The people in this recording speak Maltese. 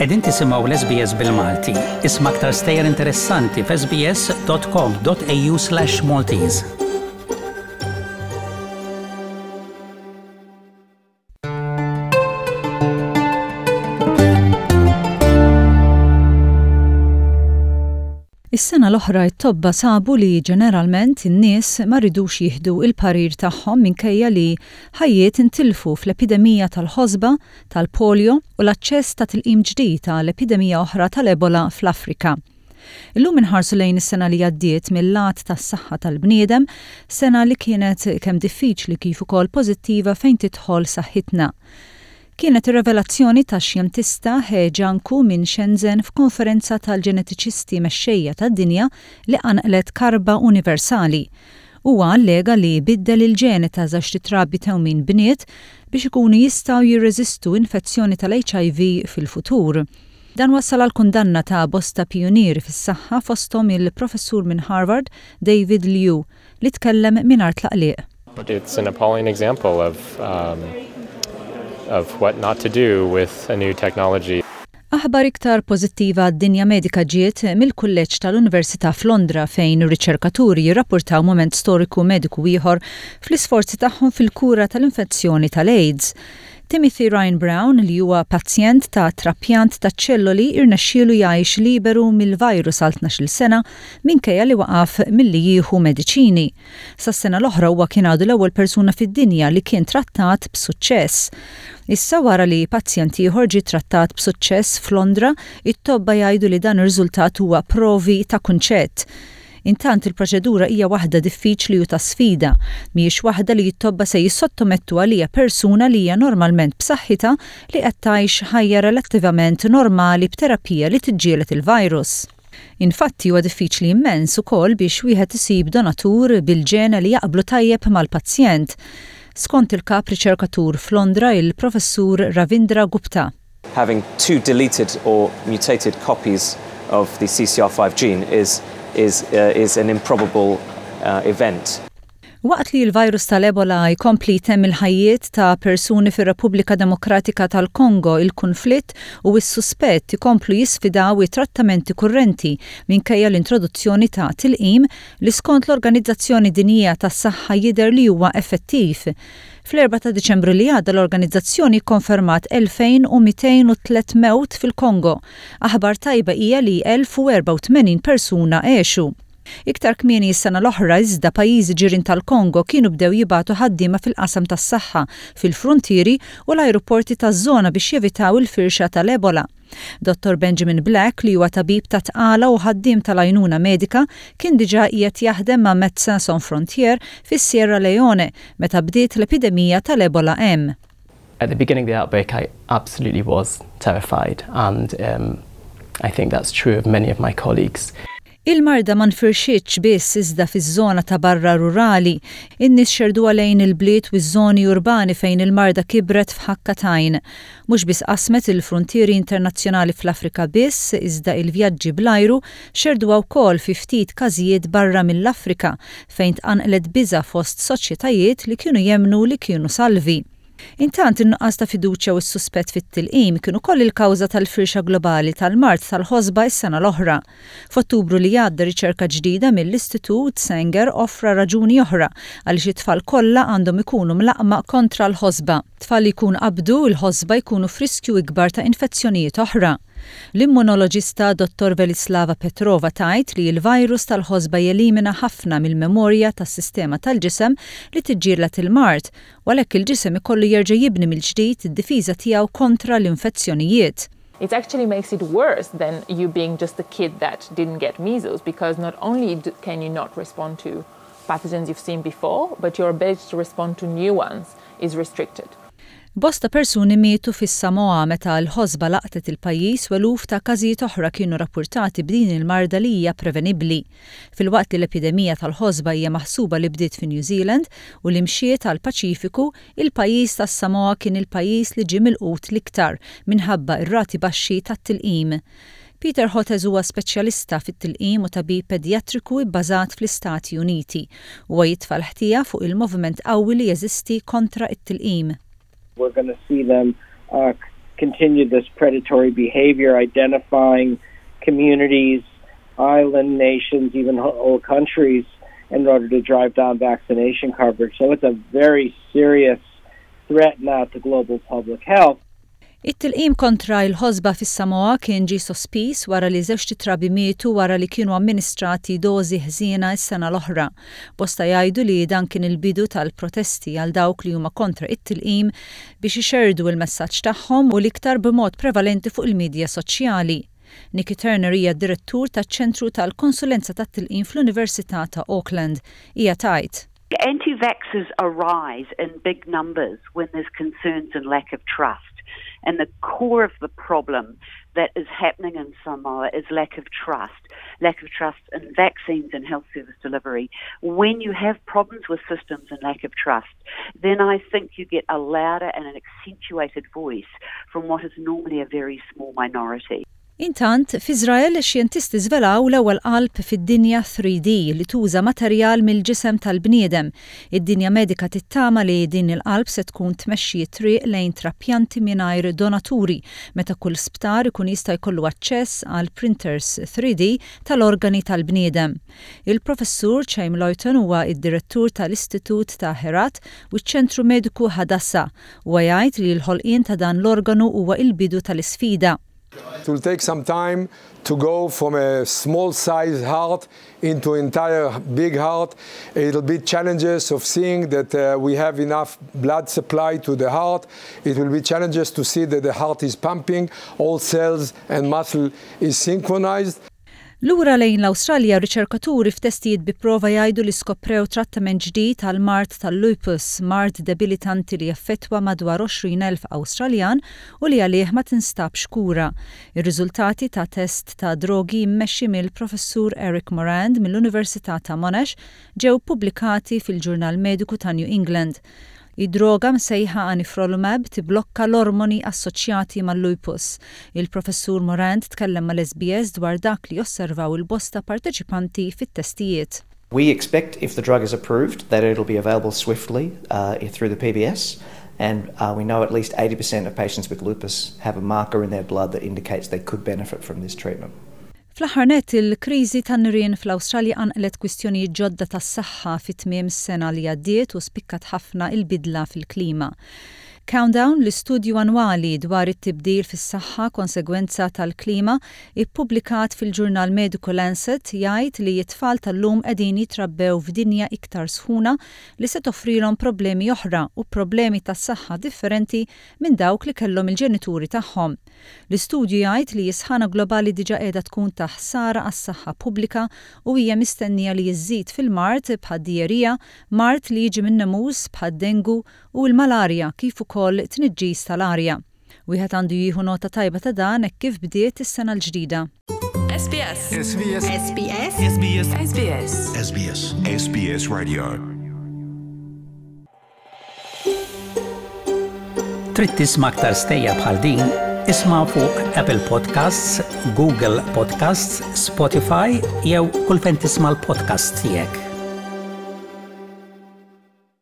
Qegħdin tisimgħu l-SBS bil-Malti. Isma' aktar stejjer interessanti f'sbs.com.au/Maltese. Is-sena l-oħra t-tobba sabu li ġeneralment in-nies ma ridux jieħdu l-parir tagħhom minkejja li ħajjiet intilfu fl-epidemija tal-ħosba, tal-polio u l-aċċess ta' tilqim ġdid għal epidemija oħra tal-Ebola fl-Afrika. Illum inħarsu lejn is-sena li għaddiet mil-lat tas-saħħa tal-bniedem, sena li kienet kemm diffiċli kif ukoll pożittiva fejn tidħol saħħitna. Kienet ir-revelazzjoni tax-xjentista He Jiankui minn Shenzhen f'konferenza tal-ġenetiċisti mexxejja tad-dinja li qanqlet karba universali. Huwa allega li biddel il-ġene ta' żewġt trabi tewmin bniet biex ikunu jistgħu jirreżistu infezzjoni tal-HIV fil-futur. Dan wassal għall-kundanna ta' bosta pijunieri fis-saħħa fosthom il-Professur minn Harvard, David Liu, li tkellem mingħajr tlaqliq. It's an appalling example of um, of what not to do with a new technology. Aħbar iktar pożittiva għad-dinja medika ġiet mill-Kulleġġ tal-Università f'Londra fejn riċerkaturi jirrapportaw mument storiku mediku ieħor fl-isforzi tagħhom fil-kura tal-infezzjoni tal-AIDS. Timothy Ryan Brown, li huwa pazjent ta' trapjant taċ-ċelloli irnexxielu jgħix liberu mill-virus għal 12-il sena minkejja li waqaf milli jieħu mediċini. Sas-sena l-oħra huwa kien għadu l-ewwel persuna fid-dinja li kien trattat b'suċċess. Issa wara li pazjent ieħor ġie trattat b'suċċess f'Londra, it-tobba jgħidu li dan ir-riżultat huwa provi ta' kunċett. Intant il-proċedura hija waħda diffiċli u ta' sfida. Mhijiex waħda li t-tobba se jissottomettu għaliha persuna li hija normalment b'saħħitha li qed tgħix ħajja relattivament normali b'terapija li tiġġieled il-virus. Infatti huwa diffiċli immens ukoll biex wieħed isib donatur bil-ġene li jaqblu tajjeb mal-pazjent. Skont il-kap riċerkatur f'Londra il-Professur Ravindra Gupta. Having two deleted or mutated copies of the CCR5 gene is, is, uh, is an improbable uh, event. Waqt li l-virus tal-Ebola jkompli jtemm il-ħajjiet ta' persuni fir-Repubblika Demokratika tal-Kongo, il-kunflitt u s-suspett ikomplu jisfidaw it-trattamenti kurrenti minkejja l-introduzzjoni ta' tilqim li skont l-Organizzazzjoni Dinjija tas-Saħħa jidher li huwa effettiv. Fl-4 ta' Diċembru li għadda l-organizzazzjoni kkonfermat 2,203 mewt fil-Kongo. Aħbar tajba hija li 1,084 persuna għexu. Iktar kmieni s-sena l-oħra iżda pajjiżi ġirien tal-Kongo kienu bdew jibagħtu ħaddiema fil-qasam tas-saħħa fil-fruntieri u l-ajruporti taż-żona biex jevitaw il-firxa tal-Ebola. Dottor Benjamin Black, li huwa tabib tat-tqala u ħaddiem tal-għajnuna medika, kien diġà qiegħed jaħdem ma' Médecins Sans Frontières fis-Sierra Leone meta bdiet l-epidemija tal-Ebola hemm. At the beginning of the outbreak I absolutely was terrified and um, I think that's true of many of my colleagues. Il-marda ma nfirxitx biss iżda fiż-żona ta' barra rurali. In-nies xerduha lejn il-bliet u ż-żoni urbani fejn il-marda kibret f'ħakka t'għajn. Mhux biss qasmet il-fruntieri internazzjonali fl-Afrika biss, iżda il-vjaġġi bl-ajru xerduha wkoll fi ftit każijiet barra mill-Afrika, fejn tqanqlet biża' fost soċjetajiet li kienu jemmnu li kienu salvi. Intant, in-nuqqas ta' fiduċja u s-suspett fit-tilqim kien ukoll il-kawża tal-firxa globali tal-mard tal-ħosba s-sena l-oħra. F'Ottubru li għadda riċerka ġdida mill-Istitut Sanger offra raġuni oħra għaliex it-tfal kollha għandhom ikunu mlaqqma kontra l-ħosba. Tfal li jkun qabdu l-ħosba jkunu f'riskju ikbar ta' infezzjonijiet oħra. L-immunoloġista Dottor Velislava Petrova tgħid li l-virus tal-ħosba jelimina ħafna mill-memorja tas-sistema tal-ġisem li tiġġieled il-mard u għalhekk il-ġisem ikollu jerġa' jibni mill-ġdid id-difiża tiegħu kontra l-infezzjonijiet. It actually makes it worse than you being just a kid that didn't get measles because not only can you not respond to pathogens you've seen before, but your ability to respond to new ones is restricted. Bosta persuni mietu fis-Samoa meta l-ħosba laqtet il-pajjiż u eluf ta' każijiet oħra kienu rappurtati b'din il-marda li hija prevenibbli. Filwaqt li l-epidemija tal-ħosba hija maħsuba li bdiet fi New Zealand u li mxiet għall-Paċifiku, il-pajjiż tas-Samoa kien il-pajjiż li ġie milqut l-iktar minħabba r-rati baxxi tat-tilqim. Peter Hotez huwa speċjalista fit-tilqim u tabib pedjatriku bbażat fl-Istati Uniti. Huwa jitfa' l-ħtija fuq il-moviment qawwi li jeżisti kontra t-tilqim. We're gonna see them uh, continue this predatory behavior, identifying communities, island nations, even whole countries in order to drive down vaccination coverage. So it's a very serious threat now to global public health. It-tilqim kontra l-ħosba fis-Samoa kien ġie sospiż wara li żewġt itrabi mietu wara li kienu amministrati dożi ħżiena s-sena l-oħra. Bosta jgħidu li dan kien il-bidu tal-protesti għal dawk li huma kontra it-tilqim biex ixerrdu l-messaġġ tagħhom u l-iktar b'mod prevalenti fuq il-midja soċjali. Nikki Turner hija d-Direttur taċ-Ċentru tal-Konsulenza tat-Tilqim fl-Università ta' Auckland. Hija tgħid. Anti-vaxxers arise in big numbers when there's concerns and lack of trust. And the core of the problem that is happening in Samoa is lack of trust, lack of trust in vaccines and health service delivery. When you have problems with systems and lack of trust, then I think you get a louder and an accentuated voice from what is normally a very small minority. Intant, f'Iżrael, xjentisti żvelaw l-ewwel qalb fid-dinja 3D li tuża materjal mill-ġisem tal-bniedem. Id-dinja medika tittama li din il-qalb se tkun tmexxi t-triq lejn trapjanti mingħajr donaturi meta kull sptar ikun jista' jkollu aċċess għal printers 3D tal-organi tal-bniedem. Il-Professur Chaim Leuton huwa d-Direttur tal-Istitut ta' Herat u ċ-Ċentru Mediku Hadassah. Huwa jgħid li l-ħolqien ta' dan l-organu huwa l-bidu tal-isfida. It will take some time to go from a small size heart into entire big heart. It'll be challenges of seeing that uh, we have enough blood supply to the heart. It will be challenges to see that the heart is pumping, all cells and muscle is synchronized. Lura lejn l-Awstralja, riċerkaturi f'testijiet bi prova jgħidu li skoprew trattament ġdid għall-mard tal-lupus, mard debilitanti li jaffettwa madwar 20,000 Awstraljan u li għalih ma tinstabx kura. Ir-riżultati ta' test ta' drogi mmexxi mill-Professur Eric Morand mill-Università ta' Monash ġew ppubblikati fil-ġurnal mediku ta' New England. Id-droga msejħa anifrolumab tibblokka l-ormoni assoċjati mal-lupus. Il-Professur Morand tkellem mal-SBS dwar dak li osservaw il-bosta parteċipanti fit-testijiet. We expect if the drug is approved that it'll be available swiftly uh, through the PBS and uh, we know at least 80% of patients with lupus have a marker in their blood that indicates they could benefit from this treatment. Fl-aħħar nett, il-kriżi tan-nirien fl-Awstralja qanqlet kwistjonijiet ġodda tas-saħħa fi tmiem is-sena li għaddiet u spikkat ħafna il-bidla fil-klima. Countdown, l-istudju annwali dwar it-tibdil fis-saħħa konsegwenza tal-klima, ippubblikat fil-ġurnal mediku Lancet, jgħid li t-tfal tal-lum qegħdin jitrabbew f'dinja iktar sħuna li se toffrilhom problemi oħra u problemi tas-saħħa differenti minn dawk li kellhom il-ġenituri tagħhom. L-istudju jgħid li s-sħana globali diġà qiegħda tkun ta' ħsara għas-saħħa pubblika u hija mistennija li żżid fil-mard bħad-dijerija, mard li jiġi min-nemus bħad-dengu u l-malarja kif ukoll tniġġis tal-arja. Wieħed għandu jieħu nota tajba ta' dan hekk kif bdiet is-sena l-ġdida. SBS. SBS. SBS. SBS. SBS. SBS. SBS Radio. Trid tisma' aktar stejjer bħal din? Isma' fuq Apple Podcasts, Google Podcasts, Spotify jew kull fejn tisma' l-podcasts tiegħek.